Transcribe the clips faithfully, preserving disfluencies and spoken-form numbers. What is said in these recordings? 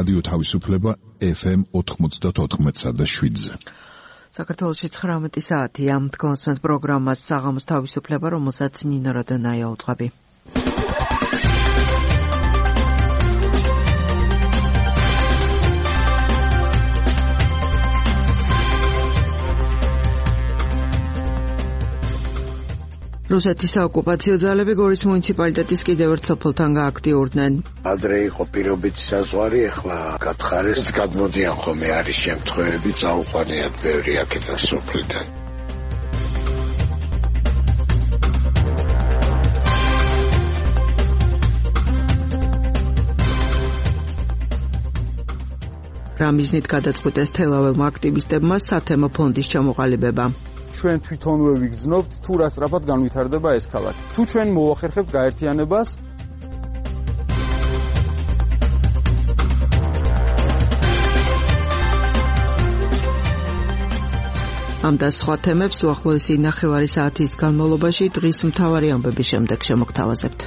რადიო თავისუფლება ეფ ემ ოთხმოცდაოთხ და შვიდზე. საქართველოში ცხრამეტი საათია. თქვენს პროგრამას საღამოს თავისუფლება, რომელსაც ნინო როდონაია უძღვები. რუსეთის საოკუპაციო ძალები გორის მუნიციპალიტეტის კიდევ ერთ სოფელთან გააქტიურდნენ. ადრე იყო პირობითი საზღვარი, ახლა გათხარეს, გადმოდიან ხოლმე არის შემთხვევები, წაუყვანიათ ბევრი აქედან სოფლიდან. რამიზნით გადაწყვიტეს თელაველმა აქტივისტებმა სათემო ფონდის ჩამოყალიბება. ჩვენ თვითონვე ვიგრძნობთ თუ რა სწრაფად განვითარდება ეს ქალაქი. თუ ჩვენ მოვახერხებთ გაერთიანებას, ამ და სხვა თემებს უახლოესი ნახევარი საათის განმავლობაში დღის მთავარი ამბების შემდეგ შემოგთავაზებთ.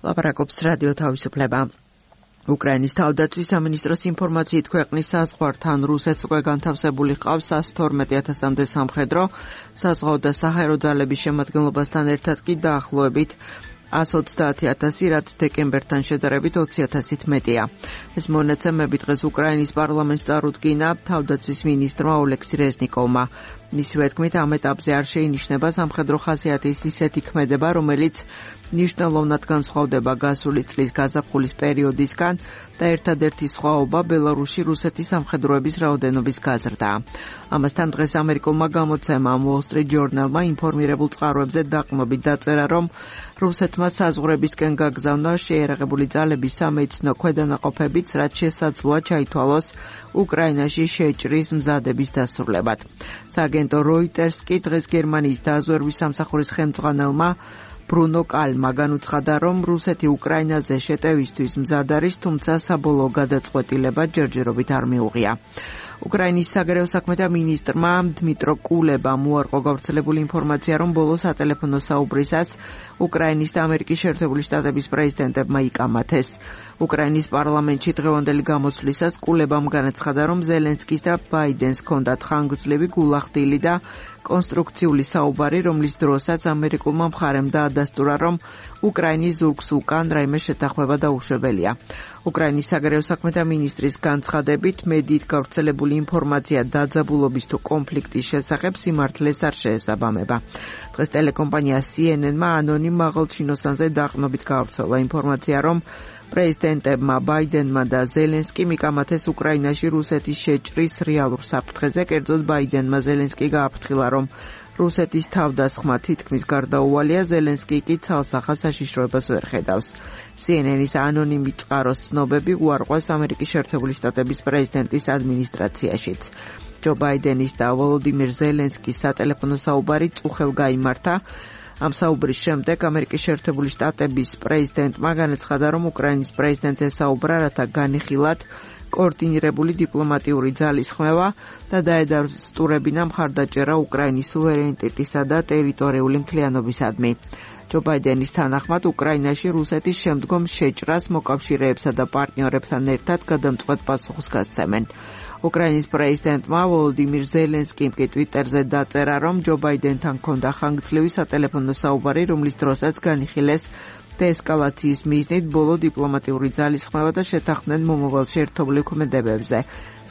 ლაპარაკობს რადიო თავისუფლება. უკრაინის თავდაცვის სამინისტროს ინფორმაციით ქვეყნის საზღვართან რუსეთს უკვე განთავსებული ჰყავს სამას თორმეტი ათასამდე სამხედრო, საზღვაო და საჰაერო ძალების შემადგენლობასთან ერთად კი დაახლოებით ას ოცდაათი ათასი, რაც დეკემბერთან შედარებით ოცი ათასით მეტია. ეს მონაცემები დღეს უკრაინის პარლამენტს წარუდგინა თავდაცვის მინისტრმა ოლექსი რეზნიკოვმა. მისივე თქმით, ამ ეტაპზე არ შეინიშნება სამხედრო ხასიათის ისეთი ქმედება, რომელიც ნიშნულოვნად განსხვავდება გასული წლის გაზაფხულის პერიოდისგან და ერთადერთი სხვაობა ბელარუსში რუსეთის სამხედროების რაოდენობის გაზრდაა. ამასთან დღეს ამერიკულმა გამოცემამ Wall Street Journal-მა ინფორმირებულ წყაროებზე დაყრდნობით დაწერა, რომ რუსეთმა საზღვრებისკენ გაგზავნა შეიარაღებული ძალების სამედიცინო ქვედანაყოფებიც, რაც შესაძლოა ჩაითვალოს უკრაინაში შეჭრის მზადების დასრულებად. სააგენტო Reuters კი დღეს გერმანიის დაზვერვის სამსახურის ხელმძღვანელმა ბრუნო კალმა განუცხადა, რომ რუსეთი უკრაინაზე შეტევისთვის მზად არის, თუმცა საბოლოო გადაწყვეტილება ჯერჯერობით არ მიუღია. უკრაინის საგარეო საქმეთა მინისტრმა დმიტრო კულებამ უარყო გავრცელებული ინფორმაცია, რომ ბოლო სატელეფონო საუბრისას უკრაინის და ამერიკის შეერთებული შტატების პრეზიდენტებმა იკამათეს. უკრაინის პარლამენტში დღევანდელი გამოსვლისას კულებამ განაცხადა, რომ ზელენსკის და ბაიდენს ჰქონდათ ხანგრძლივი გულახდილი და კონსტრუქციული საუბარი, რომლის დროსაც ამერიკულმა მხარემ დაადასტურა, რომ უკრაინის ზურგს უკან რაიმე შეთანხმება დაუშვებელია. უკრაინის საგარეო საქმეთა მინისტრის განცხადებით, მედიით გავრცელებული ინფორმაცია დაძაბულობის თუ კონფლიქტის შესახებ სიმართლეს არ შეესაბამება. დღეს ტელეკომპანია C N N-მა ანონიმ მაღალჩინოსანზე დაყრდნობით გავრცელა ინფორმაცია, რომ პრეზიდენტებმა ბაიდენმა და ზელენსკიმ იკამათეს უკრაინაში რუსეთის შეჭრის რეალურ საფრთხეზე, კერძოდ ბაიდენმა ზელენსკი გააფრთხილა, რომ რუსეთის თავდასხმა თითქმის გარდაუვალია, ზელენსკი კი ცალსახა საშიშროებას ვერ ხედავს. C N N-ის ანონიმი წყაროს ცნობები უარყვეს ამერიკის შეერთებული შტატების პრეზიდენტის ადმინისტრაციაშიც. ჯო ბაიდენის და ვოლოდიმირ ზელენსკის სატელეფონო საუბარი წუხელ გაიმართა. ამ საუბრის შემდეგ ამერიკის შეერთებული შტატების პრეზიდენტმა განაცხადა, რომ უკრაინის პრეზიდენტს ესაუბრა, რათა განიხილათ კოორდინირებული დიპლომატიური ძალის ხმევა და დაედასტურებინა მხარდაჭერა უკრაინის სუვერენიტეტისა და ტერიტორიული მთლიანობისადმი. ჯო ბაიდენის თანახმად უკრაინაში რუსეთის შემდგომ შეჭრას მოკავშირეებსა და პარტნიორებთან ერთად გადამწყვეტ პასუხს გასცემენ. უკრაინის პრეზიდენტმა ვოლოდიმირ ზელენსკიმ კი ტვიტერზე დაწერა, რომ ჯო ბაიდენთან ჰქონდა ხანგრძლივი სატელეფონო საუბარი, რომლის დროსაც განიხილეს დეესკალაციის მიზნით ბოლო დიპლომატიური ძალის ხმევა და შეთანხმდნენ მომავალში ერთობლივ ქმედებებზე.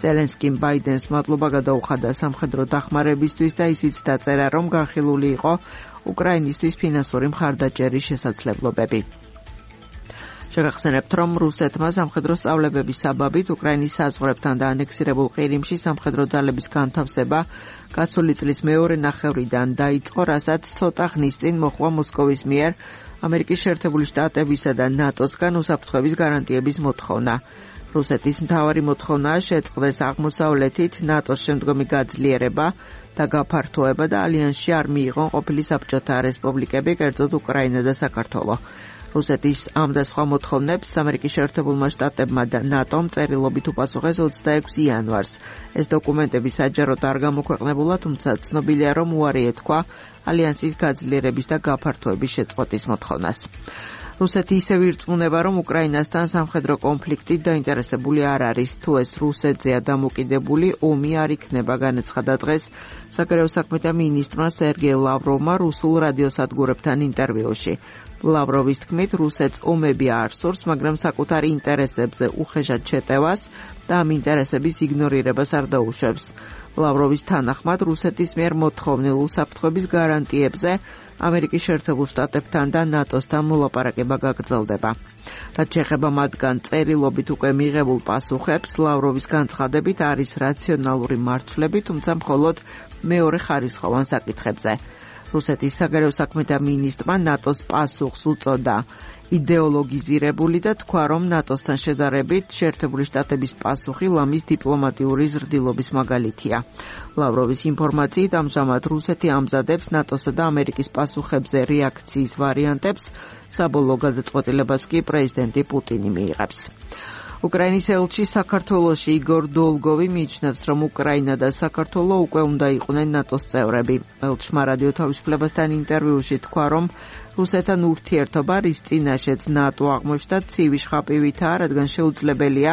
ზელენსკიმ ბაიდენს მადლობა გადაუხადა სამხედრო დახმარებისთვის და ისიც დაწერა, რომ განხილული იყო უკრაინისთვის ფინანსური მხარდაჭერის შესაძლებლობები. შეგახსენებთ, რომ რუსეთმა სამხედრო სწავლებების საბაბით უკრაინის საზღვრებთან და ანექსირებულ ყირიმში სამხედრო ძალების განთავსება გასული წლის მეორე ნახევრიდან დაიწყო, რასაც ცოტა ხნის წინ მოჰყვა მოსკოვის მიერ ამერიკის შეერთებული შტატებისა და ნატოსგან უსაფრთხოების გარანტიების მოთხოვნა. რუსეთის მთავარი მოთხოვნაა შეწყდეს აღმოსავლეთით ნატოს შემდგომი გაძლიერება და გაფართოება და ალიანსში არ მიიღონ ყოფილი საბჭოთა რესპუბლიკები, კერძოდ უკრაინა და საქართველო. რუსეთის ამ და სხვა მოთხოვნებს ამერიკის შეერთებულმა შტატებმა და ნატომ წერილობით უპასუხეს ოცდაექვსი იანვარს. ეს დოკუმენტები საჯაროდ არ გამოქვეყნებულა, თუმცა ცნობილია, რომ უარი ეთქვა ალიანსის გაძლიერების და გაფართოების შეწყვეტის მოთხოვნას. რუსეთი ისევ ირწმუნება, რომ უკრაინასთან სამხედრო კონფლიქტით დაინტერესებული არ არის, თუ ეს რუსეთზეა დამოკიდებული, ომი არ იქნება, განაცხადა დღეს საგარეო საქმეთა მინისტრმა სერგეი ლავროვმა რუსულ რადიოსადგურებთან ინტერვიუში. ლავროვის თქმით, რუსეთს ომები არ სურს, მაგრამ საკუთარ ინტერესებზე უხეშად შეტევას და ამ ინტერესების იგნორირებას არ დაუშვებს. ლავროვის თანახმად, რუსეთის მიერ მოთხოვნილ უსაფრთხოების გარანტიებზე ამერიკის შეერთებულ შტატებთან და ნატოსთან მოლაპარაკება გაგრძელდება. რაც შეეხება მათგან წერილობით უკვე მიღებულ პასუხებს, ლავროვის განცხადებით არის რაციონალური მარცვლები, თუმცა მხოლოდ მეორე ხარისხოვან საკითხებზე. რუსეთის საგარეო საქმეთა მინისტრმა ნატოს პასუხს უწოდა იდეოლოგიზირებული და თქვა, რომ ნატოსთან შედარებით შეერთებული შტატების პასუხი ლამის დიპლომატიური ზრდილობის მაგალითია. ლავროვის ინფორმაციით, ამჟამად რუსეთი ამზადებს ნატოსა და ამერიკის პასუხებზე რეაქციის ვარიანტებს, საბოლოო გადაწყვეტილებას კი პრეზიდენტი პუტინი მიიღებს. უკრაინის ელჩი საქართველოში იგორ დოლგოვი მიიჩნევს, რომ უკრაინა და საქართველო უკვე უნდა იყვნენ ნატოს წევრები. ელჩმა რადიო თავისუფლებასთან ინტერვიუში თქვა, რომ რუსეთთან ურთიერთობა, რის წინაშეც ნატო აღმოჩნდა, ცივი შხაპივითაა, რადგან შეუძლებელია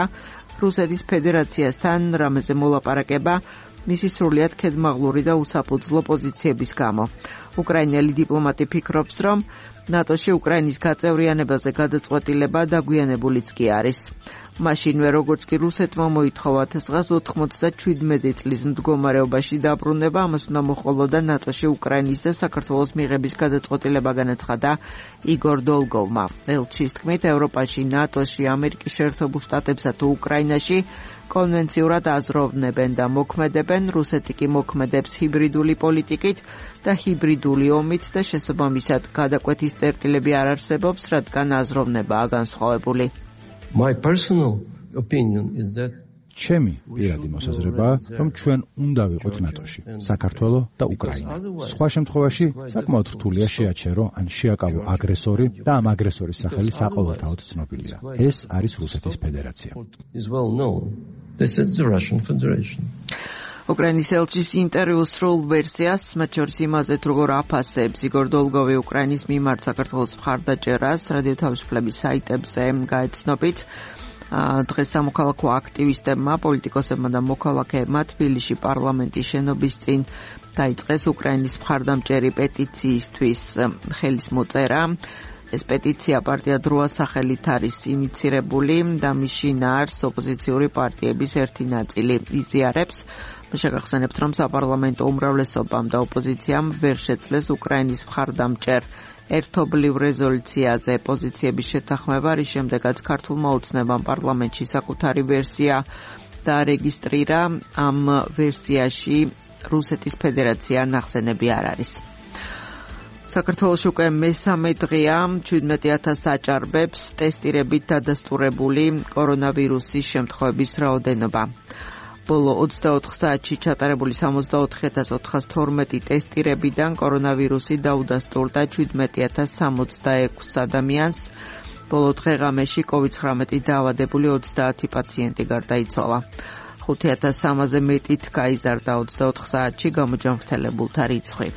რუსეთის ფედერაციასთან რამეზე მოლაპარაკება მისი სრულიად ქედმაღლური და უსაფუძვლო პოზიციების გამო. უკრაინელი დიპლომატი ფიქრობს, რომ ნატოში უკრაინის გაწევრიანებაზე გადაწყვეტილება დაგვიანებულიც კი არის. მაშინვე როგორც კი რუსეთმა მოითხოვა დღეს ოთხმოცდაჩვიდმეტი წლის მდგომარეობაში დაბრუნება, ამას უნდა მოჰყოლოდა ნატოში უკრაინის და საქართველოს მიღების გადაწყვეტილება, განაცხადა იგორ დოლგოვმა. ელჩის თქმით, ევროპაში, ნატოში, ამერიკის შეერთებულ შტატებსა თუ უკრაინაში კონვენციურად აზროვნებენ და მოქმედებენ, რუსეთი კი მოქმედებს ჰიბრიდული პოლიტიკით და ჰიბრიდული ომით და შესაბამისად გადაკვეთის წერტილები არ არსებობს, რადგან აზროვნებაა განსხვავებული. My personal opinion is that ჩემი პირადი მოსაზრებაა, რომ ჩვენ უნდა ვიყოთ ნატოში, საქართველო და უკრაინა. სხვა შემთხვევაში საკმაოდ რთულია შეაჩერო ან შეაკავო აგრესორი და ამ აგრესორის სახელი საყოველთაოდ ცნობილია. ეს არის რუსეთის ფედერაცია. This is the Russian Federation. უკრაინის ელჩის ინტერვიუს სრულ ვერსიას, მათ შორის იმაზე, თუ როგორ აფასებს იგორ დოლგოვი უკრაინის მიმართ საქართველოს მხარდაჭერას, რადიო თავისუფლების საიტებზე გაეცნობით. დღეს სამოქალაქო აქტივისტებმა, პოლიტიკოსებმა და მოქალაქეებმა თბილისში პარლამენტის შენობის წინ დაიწყეს უკრაინის მხარდამჭერი პეტიციისთვის ხელის მოწერა. ეს პეტიცია პარტია დროა სახელით არის ინიცირებული და მის შინაარს ოპოზიციური პარტიების ერთი ნაწილი იზიარებს. შეგახსენებთ, რომ საპარლამენტო უმრავლესობამ და ოპოზიციამ ვერ შეძლეს უკრაინის მხარდამჭერ ერთობლივ რეზოლუციაზე პოზიციების შეთანხმება, რის შემდეგაც ქართულმა ოცნებამ პარლამენტში საკუთარი ვერსია დაარეგისტრირა. ამ ვერსიაში რუსეთის ფედერაცია ნახსენები არ არის. საქართველოში უკვე მესამე დღეა ჩვიდმეტი ათასს აჭარბებს ტესტირებით დადასტურებული კორონავირუსის შემთხვევების რაოდენობა. ბოლო ოცდაოთხ საათში ჩატარებული სამოცდაოთხი ათას ოთხას თორმეტი ტესტირებიდან კორონავირუსი დაუდასტურდა ჩვიდმეტი ათას სამოცდაექვსს ადამიანს. ბოლო დღეღამეში კოვიდ ცხრამეტი დაავადებული ოცდაათი პაციენტი გარდაიცვალა. ხუთი ათას სამაზე მეტით გაიზარდა ოცდაოთხ საათში გამოჯანმრთელებულთა რიცხვი.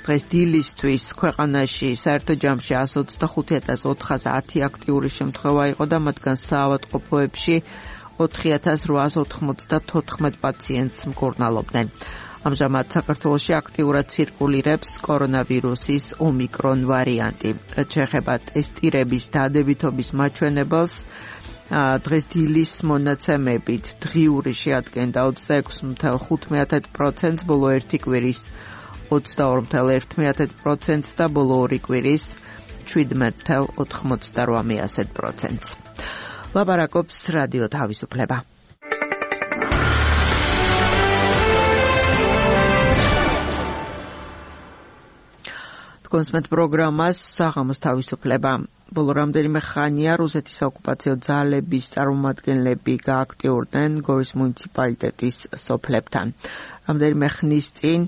დღეს დილისთვის ქვეყანაში საერთო ჯამში εκατს ოცდახუთი ათას ოთხას ათი აქტიური შემთხვევა იყო და მათგან საავადმყოფოებში ოთხი ათას რვაას ოთხმოცდათოთხმეტ პაციენტს მკურნალობდნენ. ამჟამად საქართველოში აქტიურად ცირკულირებს კორონავირუსის ომიკრონ ვარიანტი. რაც შეეხება ტესტირების დადებითობის მაჩვენებელს, დღეს დილის მონაცემებით დღიური შეადგენდა ოცდაექვსი მეთევ ხუთმეტ პროცენტს, ბოლო ერთი კვირის ოცდაორი მეთევ ერთი პროცენტს და ბოლო ორი კვირის შვიდმეტ მეთევ ოთხმოცდარვა პროცენტს. ლაპარაკობს რადიო თავისუფლება. კონსმეთ პროგრამას საღამოს თავისუფლება. ბოლო რამდენიმე ხანია რუსეთის ოკუპაციო ძალების წარმომადგენლები გააქტიურდნენ გორის მუნიციპალიტეტის სოფლებთან. რამდენიმე ხნის წინ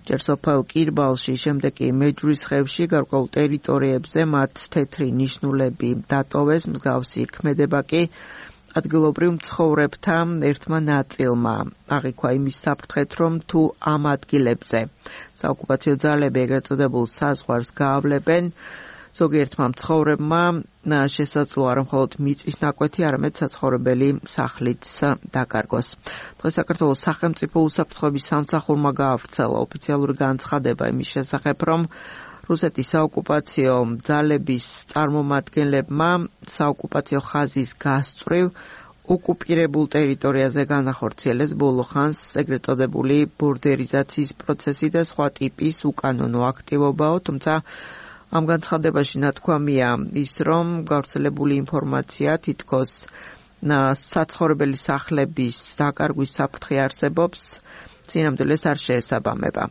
ჯერ სოფელ კირბალში, შემდეგ კი მეჯვრისხევში გარკვეულ ტერიტორიებზე მათ თეთრი ნიშნულები დატოვეს, მსგავსი ქმედება კი ადგილობრივ მცხოვრებთა ერთმა ნაწილმა აღიქვა იმის საფრთხეთ, რომ თუ ამ ადგილებზე საოკუპაციო ძალები ეგრეთ წოდებულ საზღვარს გაავლებენ, ზოგიერთმა მცხოვრებმა შესაძლოა არა მხოლოდ მიწის ნაკვეთი, არამედ საცხოვრებელი სახლიც დაკარგოს. დღეს საქართველოს სახელმწიფო უსაფრთხოების სამსახურმა გაავრცელა ოფიციალური განცხადება იმის შესახებ, რომ რუსეთის საოკუპაციო ძალების წარმომადგენლებმა საოკუპაციო ხაზის გასწვრივ ოკუპირებულ ტერიტორიაზე განახორციელეს ბოლო ხანს ეგრეთ წოდებული ბორდერიზაციის პროცესი და სხვა ტიპის უკანონო აქტივობაო, თუმცა ამ განცხადებაში ნათქვამია ის, რომ გავრცელებული ინფორმაცია თითქოს საცხოვრებელი სახლების დაკარგვის საფრთხე არსებობს, წინამდვილეს არ შეესაბამება.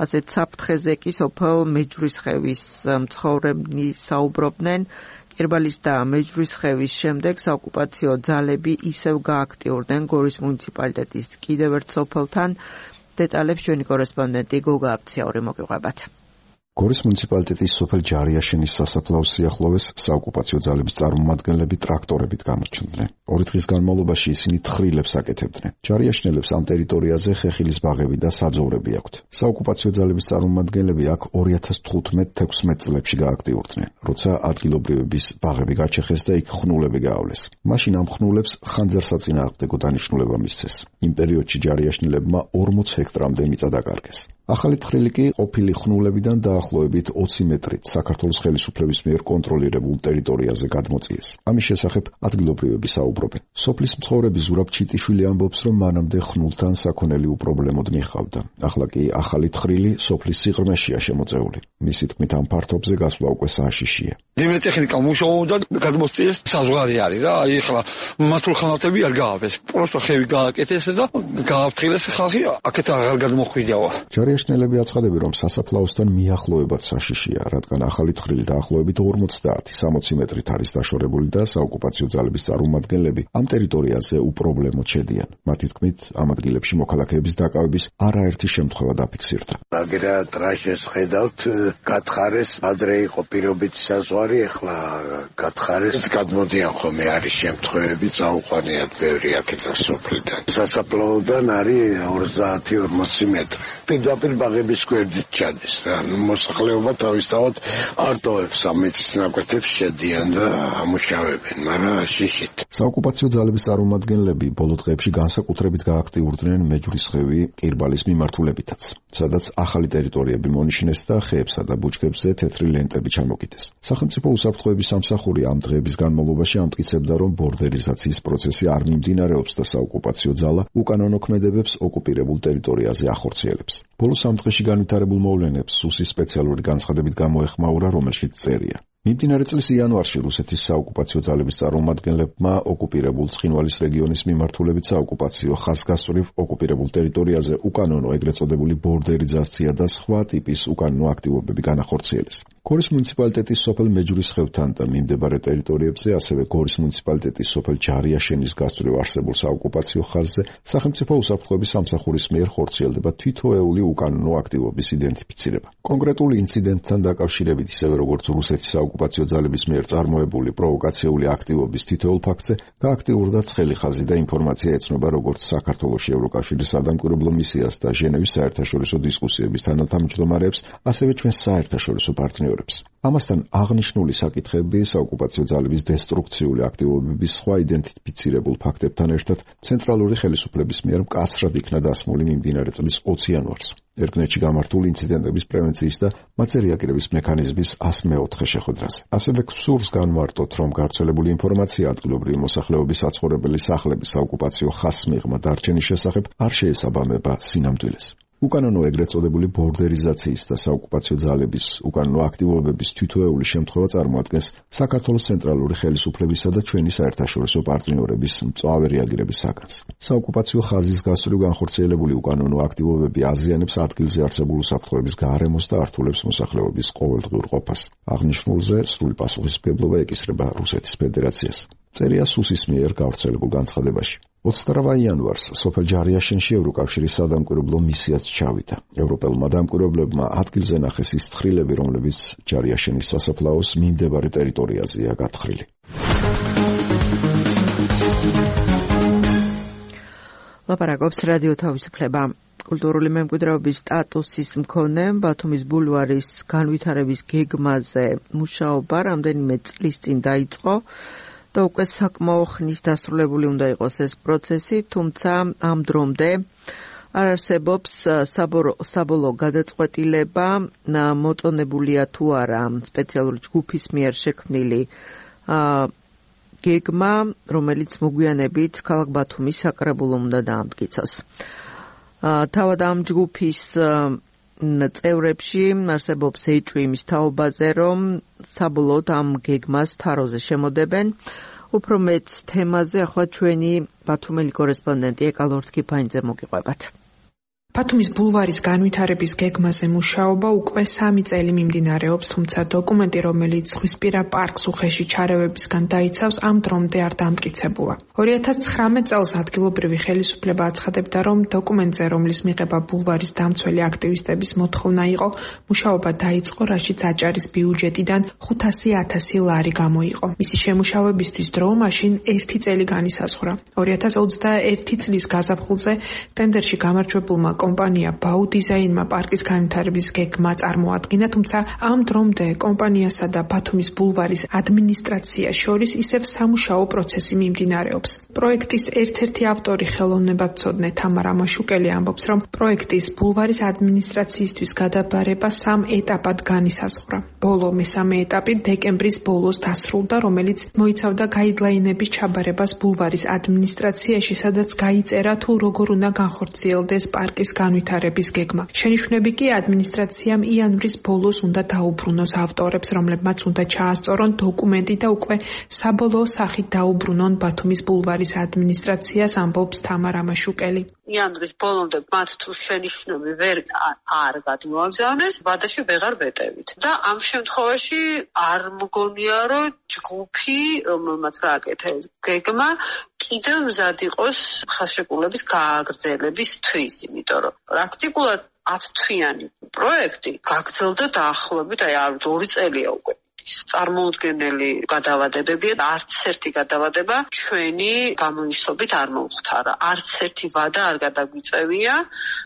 ასეთ საფრთხეზე კი სოფელ მეჯვრისხევის მცხოვრებლები საუბრობდნენ. კირბალის და მეჯვრისხევის შემდეგ საოკუპაციო ძალები ისევ გააქტიურდნენ გორის მუნიციპალიტეტის კიდევ ერთ სოფელთან. დეტალებს ჩვენი კორესპონდენტი გოგა აფციაური მოგიყვებათ. გორის მუნიციპალიტეტის სოფელ ჯარიაშენის სასაფლაოს სიახლოვეს საოკუპაციო ძალების წარმომადგენლები ტრაქტორებით გამოჩნდნენ. ორი დღის განმავლობაში ისინი თხრილებს აკეთებდნენ. ჯარიაშენელებს ამ ტერიტორიაზე ხეხილის ბაღები და საძოვრები აქვთ. საოკუპაციო ძალების წარმომადგენლები აქ ორი ათას თხუთმეტ თექვსმეტ წლებში გააქტიურდნენ, როცა ადგილობრივების ბაღები გაჩეხეს და იქ ხნულები გაავლეს. მაშინ ამ ხნულებს ხანძარსაწინააღმდეგო დანიშნულება მისცეს. იმ პერიოდში ჯარიაშენელებმა ორმოც ჰექტრამდე მიწა დაკარგეს. ახალი თხრილი კი ყოფილი ხნულებიდან დაახლოებით ოცი მეტრით საქართველოს ხელისუფლების მიერ კონტროლირებულ ტერიტორიაზე გადმოწიეს. ამის შესახებ ადგილობრივები საუბრობენ. სოფლის მცხოვრები ზურაბ ჩიტიშვილი ამბობს, რომ მანამდე ხნულთან საქონელი უპრობლემოდ მიჰყავდა. ახლა კი ახალი თხრილი სოფლის სიღრმეშია შემოწეული. მისი თქმით, ამ ფართობზე გასვლა უკვე სააშიშია. ძიმე ტექნიკა მუშაობდა, გადმოსწიეს საზღვარი არის რა, აი ახლა მათულ ხანათები არ გაავეს. პროსტო ხევი გააკეთეს და გააფრთხილეს ხალხი, აქეთ აღარ გადმოხვიდავა. ჯარიაშენელები აცხადებენ, რომ სასაფლაოსთან მიახლოებაც საშიშია, რადგან ახალი თხრილი დაახლოებით ორმოცდაათი სამოცი მეტრით არის დაშორებული და საოკუპაციო ძალების წარმომადგენლები ამ ტერიტორიაზე უპრობლემოდ შედიან. მათი თქმით, ამ ადგილებში მოქალაქეების დაკავების არაერთი შემთხვევა დაფიქსირდა. აგერა ტრაშეს ხედავთ, გათხარეს, ადრე იყო პირობითი საზღვარი, ახლა გათხარეს, გადმოდიან ხოლმე არის შემთხვევები, წაუყვანიათ ბევრი აქედან სოფლიდან. სასაფლაოდან არის ოცდაათი ორმოცი მეტრი. პირდაპირ ბაღების გვერდით ჩადის რა. მოსახლეობა თავისთავად არტოვებს ამ მიწის ნაკვეთებს შედიან და ამუშავებენ, მაგრამ შიშით. საოკუპაციო ძალების წარმომადგენლები ბოლო დღეებში განსაკუთრებით გააქტიურდნენ მეჯვრისხევი კირბალის მიმართულებითაც, სადაც ახალი ტერიტორიები მონიშნეს და ხეებსა და ბუჩქებზე თეთრი ლენტები ჩამოკიდეს. სახელმწიფო უსაფრთხოების სამსახური ამ დღეების განმავლობაში ამტკიცებდა, რომ ბორდერიზაციის პროცესი არ მიმდინარეობს და საოკუპაციო ძალა უკანონო ქმედებებს ოკუპირებულ ტერიტორიაზე ახორციელებს. ბოლო სამ დღეში განვითარებულ მოვლენებს სუსის სპეციალური განცხადებით გამოეხმაურა, რომელშიც წერია: მიმდინარე წლის იანვარში რუსეთის საოკუპაციო ძალების წარმომადგენლებმა ოკუპირებულ ცხინვალის რეგიონის მიმართულებით საოკუპაციო ხაზგასწვრივ ოკუპირებულ ტერიტორიაზე უკანონო ეგრეთ წოდებული ბორდერიზაცია და სხვა ტიპის უკანონო აქტივობები განახორციელეს. გორის მუნიციპალიტეტის სოფელ მეჯვრისხევთან და მიმდებარე ტერიტორიებზე, ასევე გორის მუნიციპალიტეტის სოფელ ჯარიაშენის გასწვრივ არსებულ საოკუპაციო ხაზზე სახელმწიფო უსაფრთხოების სამსახურის მიერ ხორციელდება თითოეული უკანონო აქტივობის იდენტიფიცირება. კონკრეტული ინციდენტთან დაკავშირებით, ისევე როგორც რუსეთის საოკუპაციო ძალების მიერ წარმოებული პროვოკაციული აქტივობის თითოეულ ფაქტზე გააქტიურდა ცხელი ხაზი და ინფორმაცია ეცნობა როგორც საქართველოში ევროკავშირის სადამკვირვებლო მისიას და ჟენევის საერთაშორისო დისკუსიების თანათავმჯდომარეებს, ასევე ჩვენს საერთაშორისო პარტნიორებს. ამასთან აღნიშნული საკითხები საოკუპაციო ძალების დესტრუქციული აქტივობების სხვა იდენტიფიცირებულ ფაქტებთან ერთად ცენტრალური ხელისუფლების მიერ მკაცრად იქნა დასმული მიმდინარე წლის ოცი იანვარს. ერგნეთში გამართული ინციდენტების პრევენციის და მათზე რეაგირების მექანიზმის ას მეოთხე შეხვედრაზე. ასევე გსურს განმარტოთ, რომ გავრცელებული ინფორმაცია ადგილობრივი მოსახლეობის საცხოვრებელი სახლების საოკუპაციო ხაზს მიღმა დარჩენის შესახებ არ შეესაბამება სინამდვილეს. უკანონო ეგრეთ წოდებული ბორდერიზაციის და საოკუპაციო ძალების უკანონო აქტივობების თვითოეული შემთხვევა წარმოადგენს საქართველოს ცენტრალური ხელისუფლებისა და ჩვენი საერთაშორისო პარტნიორების მწვავე რეაგირების საგანს. საოკუპაციო ხაზის გასწვრივ განხორციელებული უკანონო აქტივობები აზიანებს ადგილზე არსებული უსაფრთხოების გარემოს და ართულებს მოსახლეობის ყოველდღიურ ყოფას. აღნიშნულზე სრული პასუხისმგებლობა ეკისრება რუსეთის ფედერაციას. წერია სუსის მიერ გავრცელებულ განცხადებაში. ოცდაოთხ იანვარს სოფელ ჯარიაშენში ევროკავშირის სადამკვირვებლო მისიაც ჩავიდა. ევროპელმა დამკვირვებლებმა ადგილზე ნახეს ის თხრილები, რომლებიც ჯარიაშენის სასაფლაოს მიმდებარე ტერიტორიაზეა გათხრილი. ლაპარაკობს რადიო თავისუფლება. კულტურული მემკვიდრეობის სტატუსის მქონე ბათუმის ბულვარის განვითარების გეგმაზე მუშაობა რამდენიმე წლის წინ დაიწყო და უკვე საკმაო ხნის დასრულებული უნდა იყოს ეს პროცესი, თუმცა ამ დრომდე არ არსებობს საბოლოო გადაწყვეტილება მოწონებულია თუ არა სპეციალური ჯგუფის მიერ შექმნილი გეგმა, რომელიც მოგვიანებით ქალაქ ბათუმის საკრებულომ უნდა დაამტკიცოს. თავად ამ ჯგუფის წევრებში არსებობს ეჭვი იმის თაობაზე, რომ საბოლოოდ ამ გეგმას თაროზე შემოდებენ. უფრო მეც თემაზე ახლა ჩვენი ბათუმელი კორესპონდენტი ეკალორთ კიფაინძე მოგიყვებათ. ბათუმის ბულვარის განვითარების გეგმაზე მუშაობა უკვე სამი წელი მიმდინარეობს, თუმცა დოკუმენტი, რომელიც ზღვისპირა პარკს უხეში ჩარევებისგან დაიცავს, ამ დრომდე არ დამტკიცებულა. ორი ათას ცხრამეტ წელს ადგილობრივი ხელისუფლება აცხადებდა, რომ დოკუმენტზე, რომლის მიღება ბულვარის დამცველი აქტივისტების მოთხოვნა იყო, მუშაობა დაიწყო, რაშიც აჭარის ბიუჯეტიდან ხუთასი ათასი ლარი გამოიყო. მისი შემუშავებისთვის დრო მაშინ ერთი წელი განისაზღვრა. ორი ათას ოცდაერთი წლის გაზაფხულზე ტენდერში გამარჯვებულმა კომპანია ბაუ დიზაინმა პარკის განვითარების გეგმა წარმოადგინა, თუმცა ამ დრომდე კომპანიასა და ბათუმის ბულვარის ადმინისტრაციას შორის ისევ სამუშაო პროცესი მიმდინარეობს. პროექტის ერთ-ერთი ავტორი ხელოვნებაცოდნე თამარ ამაშუკელი ამბობს, რომ პროექტის ბულვარის ადმინისტრაციისთვის გადაბარება სამ ეტაპად განისაზღვრა. ბოლო მესამე ეტაპი დეკემბრის ბოლოს დასრულდა, რომელიც მოიცავდა გაიდლაინების ჩაბარებას ბულვარის ადმინისტრაციაში, სადაც გაიწერა თუ როგორ უნდა განხორციელდეს პარკის განვითარების გეგმა. შენიშვნები კი ადმინისტრაციამ იანვრის ბოლოს უნდა დაუბრუნოს ავტორებს, რომლებმაც უნდა ჩაასწორონ დოკუმენტი და უკვე საბოლოო სახით დაუბრუნონ ბათუმის ბულვარის ადმინისტრაციას, ამბობს თამარ ამაშუკელი. იანვრის ბოლომდე მათ თუ შენიშვნები ვერ არ გადმოაგზავნეს, ვადაში ვეღარ ვეტევით. და ამ შემთხვევაში არ მგონია, რომ ჯგუფი, რომელმაც გააკეთეს გეგმა, კიდევ მზად იყოს ხალხშეკრულების გააგრძელებისთვის, იმიტომ რომ პრაქტიკულად ათთვიანი პროექტი გაგრძელდა დაახლოებით აი ორი წელია უკვე. წარმოუდგენელი გადავადებებია და არც ერთი გადავადება ჩვენი გამოისობით არ მოუხთარა. არც ერთი ვადა არ გადაგვიწევია,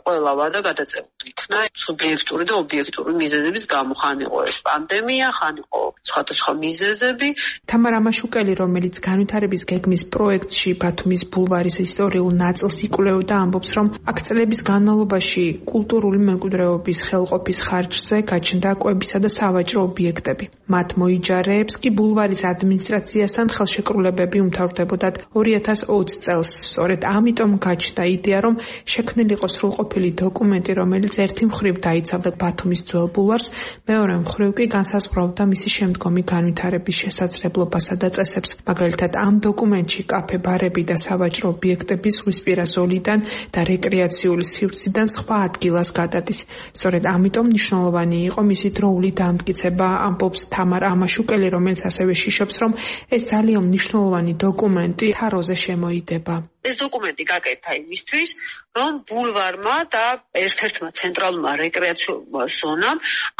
ყველა ვადა გადაწეული იქნა სუბიექტური და ობიექტური მიზეზების გამო, ხან იყო ეს პანდემია, ხან იყო სხვადასხვა მიზეზები. თამარ ამაშუკელი, რომელიც განვითარების გეგმის პროექტში ბათუმის ბულვარის ისტორიულ ნაწილს იკვლევდა, ამბობს, რომ აქ წლების განმავლობაში კულტურული მემკვიდრეობის ხელყოფის ხარჯზე გაჩნდა კვებისა და სავაჭრო ობიექტები. მათ მოიჯარეებს კი ბულვარის ადმინისტრაციასთან ხელშეკრულებები უმთავრდებოდათ ორი ათას ოცი წელს. სწორედ ამიტომ გაჩნდა იდეა, რომ შექმნილი იყო სრულყოფილი დოკუმენტი, რომელიც ერთი მხრივ დაიცავდა ბათუმის ძველ ბულვარს, მეორე მხრივ კი განსაზღვრავდა მისი შემდგომი განვითარების შესაძლებლობასა და წესებს. მაგალითად, ამ დოკუმენტში კაფე, ბარები და სავაჭრო ობიექტები ზღვისპირა ზოლიდან და რეკრეაციული სივრციდან სხვა ადგილას გადადის. სწორედ ამიტომ მნიშვნელოვანი იყო მისი დროული დამტკიცება, ამბობს თამარ ამაშუკელი, რომელიც ასევე შიშობს, რომ ეს ძალიან მნიშვნელოვანი დოკუმენტი თაროზე შემოიდება. ეს დოკუმენტი გაკეთდა იმისთვის, რომ ბულვარმა და ერთ-ერთმა ცენტრალურმა რეკრეაციულმა ზონამ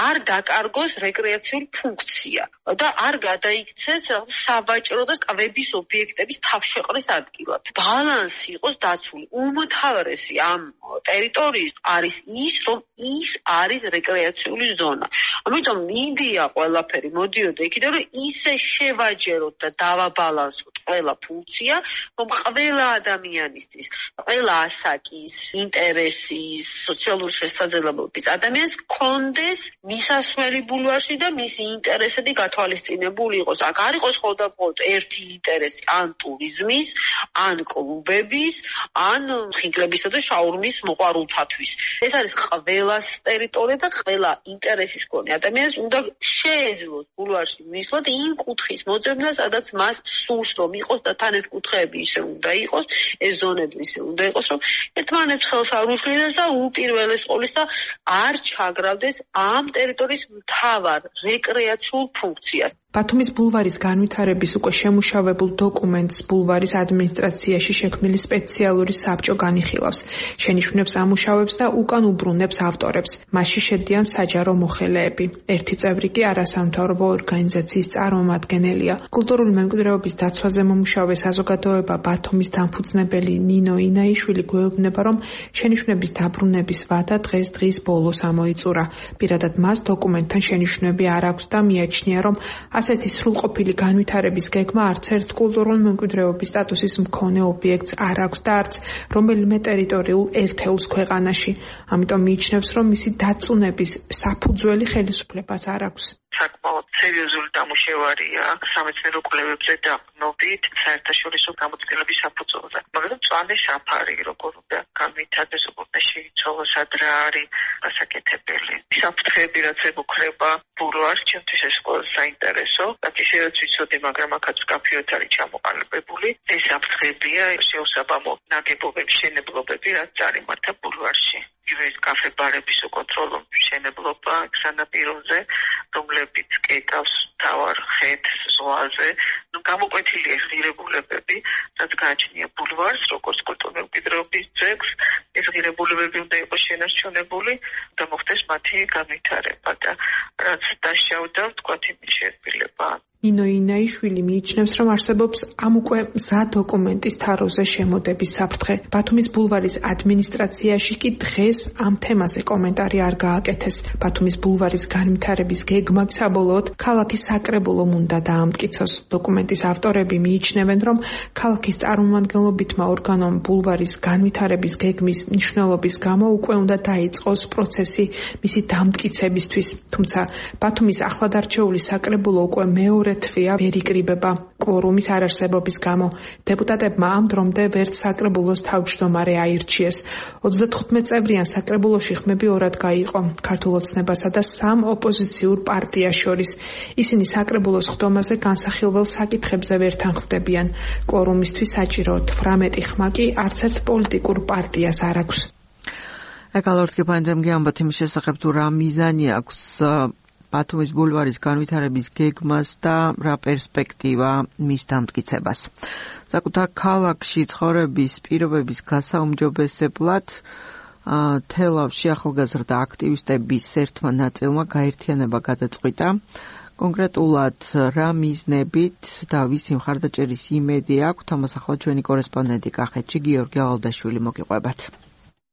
არ დაკარგოს რეკრეაციული ფუნქცია და არ გადაიქცეს სავაჭრო და კვების ობიექტების თავშეყრის ადგილად. ბალანსი იყოს დაცული. უმთავრესი ამ ტერიტორიის არის ის, რომ ის არის რეკრეაციული ზონა. ამიტომ იდეა ყველაფერი მოდიოდა იქიდან, რომ ისე შევაჯეროთ და დავაბალანსოთ ყველა ფუნქცია, რომ ყველა ადამიანისთვის, ყველა ასაკის, ინტერესის, სოციალური შესაძლებლობის ადამიანს კონდეს მისასვლელი ბულვარში და მისი ინტერესები გათვალისწინებული იყოს. აქ არ იყოს მხოლოდ ერთი ინტერესი, ან ტურიზმის, ან კლუბების, ან ხინკლებისა და შაურმის მოყვარულთათვის. ეს არის ყველას ტერიტორია და ყველა ინტერესის მქონე ადამიანს უნდა შეეძლოს ბულვარში მისვლა იმ კუთხის მოძებნა, სადაც მას სურს რომ იყოს და თან ეს კუთხეები ისე უნდა იყოს, ეს ზონები ისე უნდა იყოს, რომ ერთმანეთს ხელს არ უშლიდეს და უპირველეს ყოვლისა არ ჩაგრავდეს ამ ტერიტორიის მთავარ რეკრეაციულ ფუნქციას. ბათუმის ბულვარის განვითარების უკვე შემუშავებულ დოკუმენტს ბულვარის ადმინისტრაციაში შექმნილი სპეციალური საბჭო განიხილავს. შენიშვნებს ამუშავებს და უკან უბრუნებს ავტორებს. მასში შედიან საჯარო მოხელეები. ერთი წევრი კი არასამთავრობო ორგანიზაციის წარმომადგენელია. კულტურული მემკვიდრეობის დაცვაზე მომუშავე საზოგადოება ბათუმის დამფუძნებელი ნინო ინაიშვილი გვეუბნება, რომ შენიშვნების დაბრუნების ვადა დღეს დღის ბოლოს ამოიწურა. პირადად მას დოკუმენტთან შენიშვნები არ აქვს და მიაჩნია, რომ ასეთი სრულყოფილი განვითარების გეგმა არც ერთ კულტურული მემკვიდრეობის სტატუსის მქონე ობიექტს არ აქვს და არც რომელიმე ტერიტორიულ ერთეულს ქვეყანაში. ამიტომ მიიჩნევს, რომ მისი დაწუნების საფუძველი ხელისუფლებას არ აქვს. საკმაოდ სერიოზული დამუშევარია სამეცნიერო კვლევებზე დაყრდნობით საერთაშორისო გამოცდილების საფუძველზე. მაგრამ მწვანე საფარი როგორ უნდა განვითარდეს, როგორ უნდა შეიცვალოს, ადრე არის გასაკეთებელი. საფრთხეები რაც ემუქრება ბულვარს, ჩემთვის ეს ყველაზე საინტერესო. რაც ისედაც ვიცოდი, მაგრამ აქაც მკაფიოდ არის ჩამოყალიბებული. ეს საფრთხეებია შეუსაბამო ნაგებობების მშენებლობები, რაც წარიმართა ბულვარში. ის კაფე-ბარების უკონტროლო მშენებლობა სანაპიროზე, რომლებიც კეტავს თავარ ხეთს ზღვაზე. ნუ გამოკვეთილია ღირებულებები, რაც გააჩნია ბულვარს, როგორც კულტურული მემკვიდრეობის ძეგლს. ეს ღირებულებები უნდა იყოს შენარჩუნებული და მოხდეს მათი განვითარება და რაც დასჯავდა, ვთქვათ, იმის შეერბილება. ნინო ინაიშვილი მიიჩნევს, რომ არსებობს ამ უკვე მზა დოკუმენტის თაროზე შემოდების საფრთხე. ბათუმის ბულვარის ადმინისტრაციაში კი დღეს ამ თემაზე კომენტარი არ გააკეთეს. ბათუმის ბულვარის განვითარების გეგმა საბოლოოდ ქალაქის საკრებულომ უნდა დაამტკიცოს. დოკუმენტის ავტორები მიიჩნევენ, რომ ქალაქის წარმომადგენლობითმა ორგანომ ბულვარის განვითარების გეგმის მნიშვნელობის გამო უკვე უნდა დაიწყოს პროცესი მისი დამტკიცებისთვის. თუმცა ბათუმის ახლადარჩეული საკრებულო უკვე მეორე თვეა ვერ იკრიბება კვორუმის არარსებობის გამო. დეპუტატებმა ამ დრომდე ვერც საკრებულოს თავმჯდომარე აირჩიეს. ოცდათხუთმეტ წევრიან საკრებულოში ხმები ორად გაიყო, ქართულ ოცნებასა და სამ ოპოზიციურ პარტიას შორის. ისინი საკრებულოს ხდომაზე განსახილველ საკითხებზე ვერ თანხმდებიან. კვორუმისთვის საჭირო თვრამეტი ხმა კი არც ერთ პოლიტიკურ პარტიას არ აქვს. ეკალორტკი პანძემგი ამბობთ იმის შესახებ, თუ რა მიზანი აქვს ბათუმის ბულვარის განვითარების გეგმას და რა პერსპექტივა მის დამტკიცებას. საკუთარ ქალაქში ცხოვრების პირობების გასაუმჯობესებლად თელავში ახალგაზრდა აქტივისტების ერთმა ნაწილმა გაერთიანება გადაწყვიტა. კონკრეტულად რა მიზნებით და ვისი მხარდაჭერის იმედი აქვს, ამას ახლა ჩვენი კორესპონდენტი კახეთში გიორგი ალალდაშვილი მოგიყვებათ.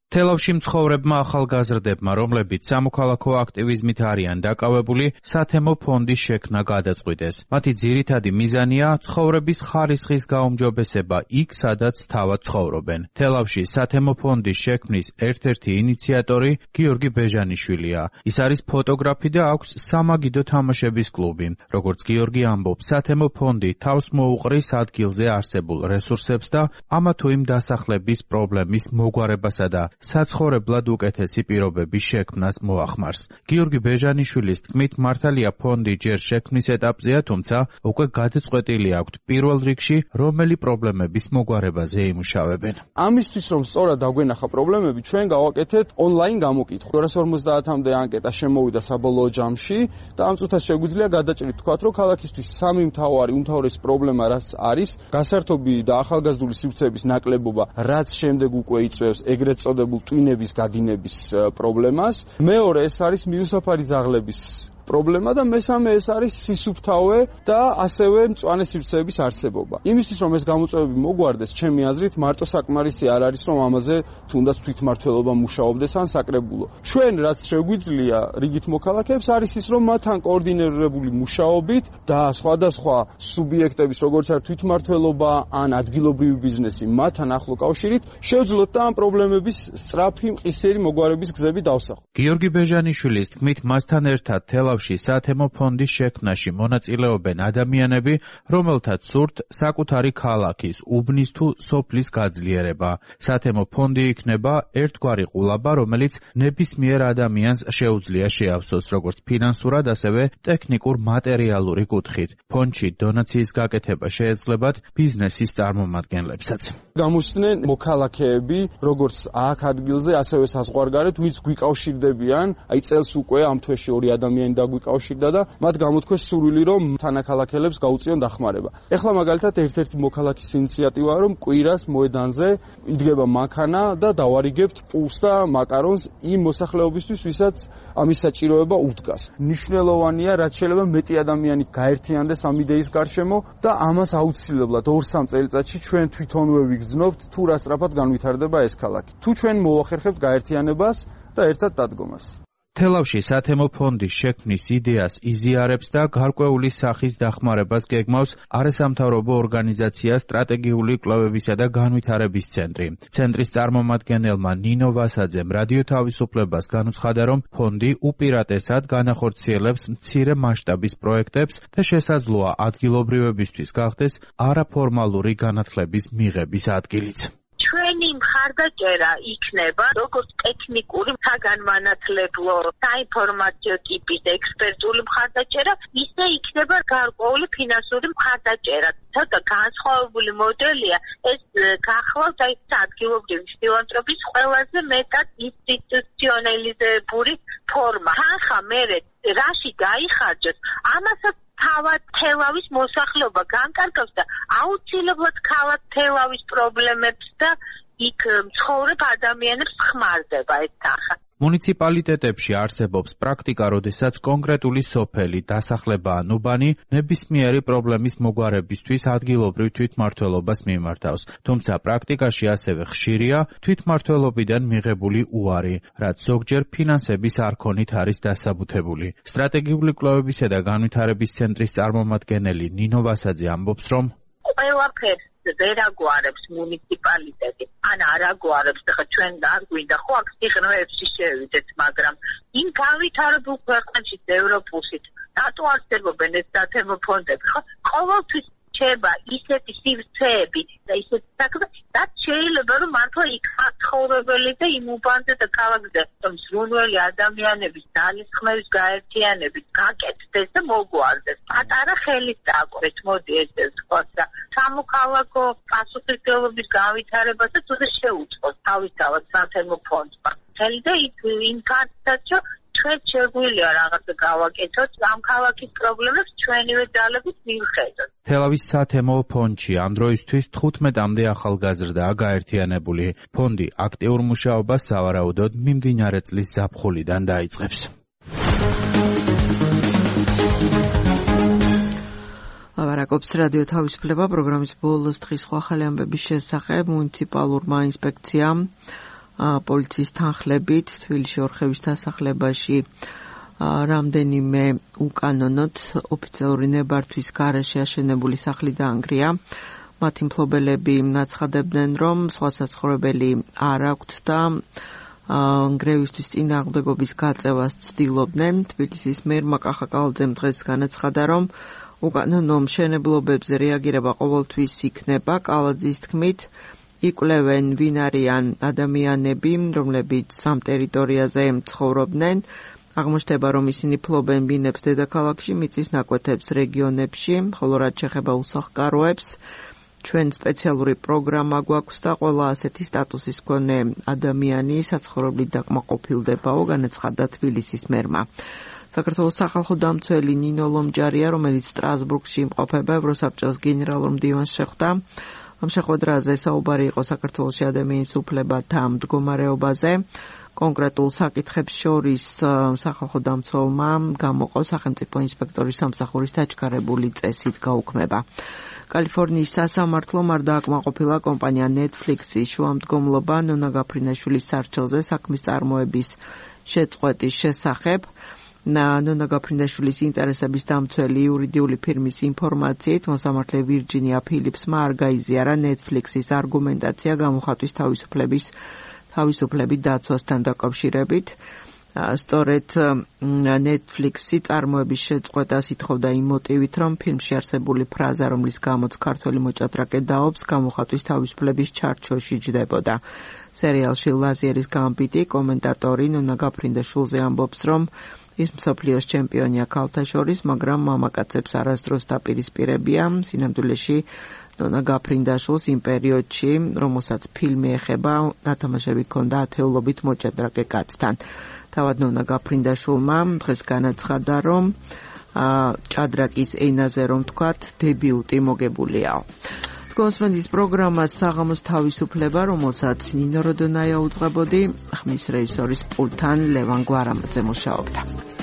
თელავში მცხოვრებმა ახალგაზრდებმა, რომლებიც სამოქალაქო აქტივიზმით არიან დაკავებული, სათემო ფონდის შექმნა გადაწყვიტეს. მათი ძირითადი მიზანია ცხოვრების ხარისხის გაუმჯობესება იქ, სადაც თავად ცხოვრობენ. თელავში სათემო ფონდის შექმნის ერთ-ერთი ინიციატორი გიორგი ბეჟანიშვილია. ის არის ფოტოგრაფი და აქვს სამაგიდო თამაშების კლუბი. როგორც გიორგი ამბობს, სათემო ფონდი თავს მოუყრის ადგილზე არსებულ რესურსებს და ამა თუ იმ დასახლების პრობლემის მოგვარებასა და საცხოვრებლად უკეთესი პირობების შექმნას მოახმარს. გიორგი ბეჟანიშვილის თქმით, მართალია ფონდი ჯერ შექმნის ეტაპზეა, თუმცა უკვე გადაწყვეტილი აქვთ პირველ რიგში, რომელი პრობლემების მოგვარებაზე იმუშავებენ. ამისთვის, რომ სწორად დაგვენახა პრობლემები, ჩვენ გავაკეთეთ ონლაინ გამოკითხვა. ორას ორმოცდაათამდე ანკეტა შემოვიდა საბოლოო ჯამში და ამ წუთას შეგვიძლია გადაჭრით თქვათ, რომ ქალაქისთვის სამი მთავარი უმთავრესი პრობლემა რაც არის, გასართობი და ახალგაზრდული სივრცეების ნაკლებობა, რაც შემდეგ უკვე იწვევს ეგრეთ წოდებულ ტვინების გადინების პრობლემას. მეორე ეს არის მიუსაფარი ძაღლების პრობლემა და მესამე ეს არის სისუფთავე და ასევე მწვანე სივრცეების არსებობა. იმისთვის რომ ეს გამოწვევები მოგვარდეს, ჩემი აზრით მარტო საკმარისი არ არის რომ ამაზე თუნდაც თვითმმართველობა მუშაობდეს ან საკრებულო. ჩვენ რაც შეგვიძლია რიგით მოქალაქეებს არის ის რომ მათთან კოორდინირებული მუშაობით და სხვადასხვა სუბიექტების როგორც არის თვითმმართველობა ან ადგილობრივი ბიზნესი მათთან ახლო კავშირით შევძლოთ და ამ პრობლემების სწრაფი მყისიერი მოგვარების გზები დავსახოთ. გიორგი ბეჟანიშვილის თქმით, მასთან ერთად თელავში სათემო ფონდის შექმნაში მონაწილეობენ ადამიანები, რომელთაც სურთ საკუთარი ქალაქის, უბნის თუ სოფლის გაძლიერება. სათემო ფონდი იქნება ერთგვარი ყულაბა, რომელიც ნებისმიერ ადამიანს შეუძლია შეავსოს როგორც ფინანსურად, ასევე ტექნიკურ მატერიალური კუთხით. ფონდში დონაციის გაკეთება შეეძლებათ ბიზნესის წარმომადგენლებსაც. გამოსცნენ მოქალაქეები, როგორც აქ ადგილზე, ასევე საზღვარგარეთ, ვინც გვიკავშირდებიან, აი წელს უკვე ამ თვეში ორი ადამიანი დაგვიკავშირდა და მათ გამოთქვეს სურვილი, რომ თანაქალაქელებს გაუწიონ დახმარება. ეხლა მაგალითად ერთ-ერთი მოქალაქის ინიციატივაა, რომ კვირას მოედანზე იდგება მანქანა და დავარიგებთ პულს და მაკარონს იმ მოსახლეობისთვის, ვისაც ამის საჭიროება უდგას. მნიშვნელოვანია, რაც შეიძლება მეტი ადამიანი გაერთიანდეს ამ იდეის გარშემო და ამას აუცილებლად ორ-სამ წელიწადში ჩვენ თვითონვე ვიგრძნობთ, თუ რა სწრაფად განვითარდება ეს ქალაქი. თუ ჩვენ მოახერხებთ გაერთიანებას და ერთად დადგომას. თელავში სათემო ფონდის შექმნის იდეას იზიარებს და გარკვეული სახის დახმარებას გეგმავს არასამთავრობო ორგანიზაცია სტრატეგიული კვლევებისა და განვითარების ცენტრი. ცენტრის წარმომადგენელმა ნინო ვასაძემ რადიო თავისუფლებას განუცხადა, რომ ფონდი უპირატესად განახორციელებს მცირე მასშტაბის პროექტებს და შესაძლოა ადგილობრივებისთვის გახდეს არაფორმალური განათლების მიღების ადგილიც. ჩვენი მხარდაჭერა იქნება როგორც ტექნიკური, საგანმანათლებლო, საინფორმაციო ტიპის ექსპერტული მხარდაჭერა, ისე იქნება გარკვეული ფინანსური მხარდაჭერა. ცოტა განსხვავებული მოდელია, ეს გახლავთ აი ადგილობრივი ფილანთროპიის ყველაზე მეტად ინსტიტუციონალიზებული ფორმა. თანხა მერე რაში გაიხარჯოს, ამასაც თავად თელავის მოსახლეობა განკარგავს და აუცილებლად ქალაქ თელავის პრობლემებს და იქ მცხოვრებ ადამიანებს ხმარდება ეს თანხა. მუნიციპალიტეტებში არსებობს პრაქტიკა, როდესაც კონკრეტული სოფელი, დასახლება ან უბანი ნებისმიერი პრობლემის მოგვარებისთვის ადგილობრივ თვითმმართველობას მიმართავს. თუმცა პრაქტიკაში ასევე ხშირია თვითმმართველობიდან მიღებული უარი, რაც ზოგჯერ ფინანსების არქონით არის დასაბუთებული. სტრატეგიული კვლევებისა და განვითარების ცენტრის წარმომადგენელი ნინო ვასაძე ამბობს, რომ ყველაფერს ვერ აგვარებს მუნიციპალიტეტი, ან არ აგვარებს, ხა ჩვენ არ გვინდა ხო აქ სიღრმეებში შევიდეთ, მაგრამ იმ განვითარებულ ქვეყნებში ევროპულში რატო არსებობენ ეს სათემო ფონდები, ხო? ყოველთვის რჩება ისეთი სივრცეები და ისეთი საქმე, რაც შეიძლება რომ მართლა იქ ცხოვრებელი და იმ უბანზე და ქალაქზე მსრუნველი ადამიანების ძალისხმევის გაერთიანებით გაკეთდეს და მოგვარდეს. პატარა ხელით დააკვეთ, მოდი ესე ვთქვათ და სამოქალაქო პასუხისმგებლობის განვითარებასაც უნდა შეუწყოს თავისთავად სათემო ფონდმა. და იმ კაცსაც ჩვენ შეგვიძლია რაღაცა გავაკეთოთ ამ ქალაქის პრობლემებს ჩვენივე ძალებით მივხედოთ. თელავის სათემო ფონდში ამ დროისთვის თხუთმეტამდე ახალგაზრდაა გაერთიანებული. ფონდი აქტიურ მუშაობას სავარაუდოდ მიმდინარე წლის ზაფხულიდან დაიწყებს. ლაპარაკობს რადიო თავისუფლება პროგრამის ბოლოს დღის სხვა ახალი ამბების შესახებ. მუნიციპალურმა ინსპექციამ პოლიციის თანხლებით თბილისში ორხევის დასახლებაში რამდენიმე უკანონოდ ოფიციალური ნებართვის გარეშე აშენებული სახლი დაანგრია. მათი მფლობელები ნაცხადებდნენ, რომ სხვა საცხოვრებელი არ აქვთ და ნგრევისთვის წინააღმდეგობის გაწევას ცდილობდნენ. თბილისის მერმა კახაკალაძემ დღეს განაცხადა, რომ უკანონო მშენებლობებზე რეაგირება ყოველთვის იქნება. კალაძის თქმით, იკვლევენ ვინ არიან ადამიანები, რომლებიც ამ ტერიტორიაზე ცხოვრობდნენ. აღმოჩნდება, რომ ისინი ფლობენ ბინებს დედაქალაქში, მიწის ნაკვეთებს რეგიონებში, ხოლო რაც შეეხება უსახლკაროებს, ჩვენ სპეციალური პროგრამა გვაქვს და ყველა ასეთი სტატუსის მქონე ადამიანი საცხოვრებლით დაკმაყოფილდებაო, განაცხადა თბილისის მერმა. საქართველოს სახალხო დამცველი ნინო ლომჯარია, რომელიც სტრასბურგში იმყოფება, ევროსაბჭოს გენერალურ მდივანს შეხვდა. ამ შეხვედრაზე საუბარი იყო საქართველოში ადამიანის უფლებათა მდგომარეობაზე. კონკრეტულ საკითხებს შორის სახალხო დამცველმა გამოყო სახელმწიფო ინსპექტორის სამსახურის დაჩქარებული წესით გაუქმება. კალიფორნიის სასამართლომ არ დააკმაყოფილა კომპანია Netflix-ის შუამდგომლობა ნონა გაფრინაშვილის სარჩელზე საქმის წარმოების შეწყვეტის შესახებ. ნონა გაფრინაშვილის ინტერესების დამცველი იურიდიული ფირმის ინფორმაციით მოსამართლე ვირჯინია ფილიპსმა არ გაიზიარა Netflix-ის არგუმენტაცია გამოხატვის თავისუფლების თავისუფლებით დაცვასთან დაკავშირებით. სწორედ Netflix-ი წარმოების შეწყვეტას ითხოვდა იმ მოტივით, რომ ფილმში არსებული ფრაზა, რომლის გამოც ქართველი მოჭადრაკე დაობს, გამოხატვის თავისუფლების ჩარჩოში ჯდებოდა. სერიალში ლაზიერის გამბიტი კომენტატორი ნონა გაფრინდაშვილზე ამბობს, რომ ის მსოფლიოს ჩემპიონია ქალთა შორის, მაგრამ მამაკაცებს არასდროს დაპირისპირებია. სინამდვილეში ნონა გაფრინდაშვილს იმ პერიოდში, რომელსაც ფილმი ეხება, დათამაშები ჰქონდა ათეულობით მოჭადრაკე კაცთან. თავად ნონა გაფრინდაშვილმა დღეს განაცხადა, რომ ჭადრაკის ენაზე რომ თქვათ, დებიუტი მოგებულია. კონსმენდის პროგრამას საღამოს თავისუფლება, რომელსაც ნინო როდონაია უძღვებოდი, ხმის რეჟისორის პულტთან ლევან გვარამაძე მუშაობდა.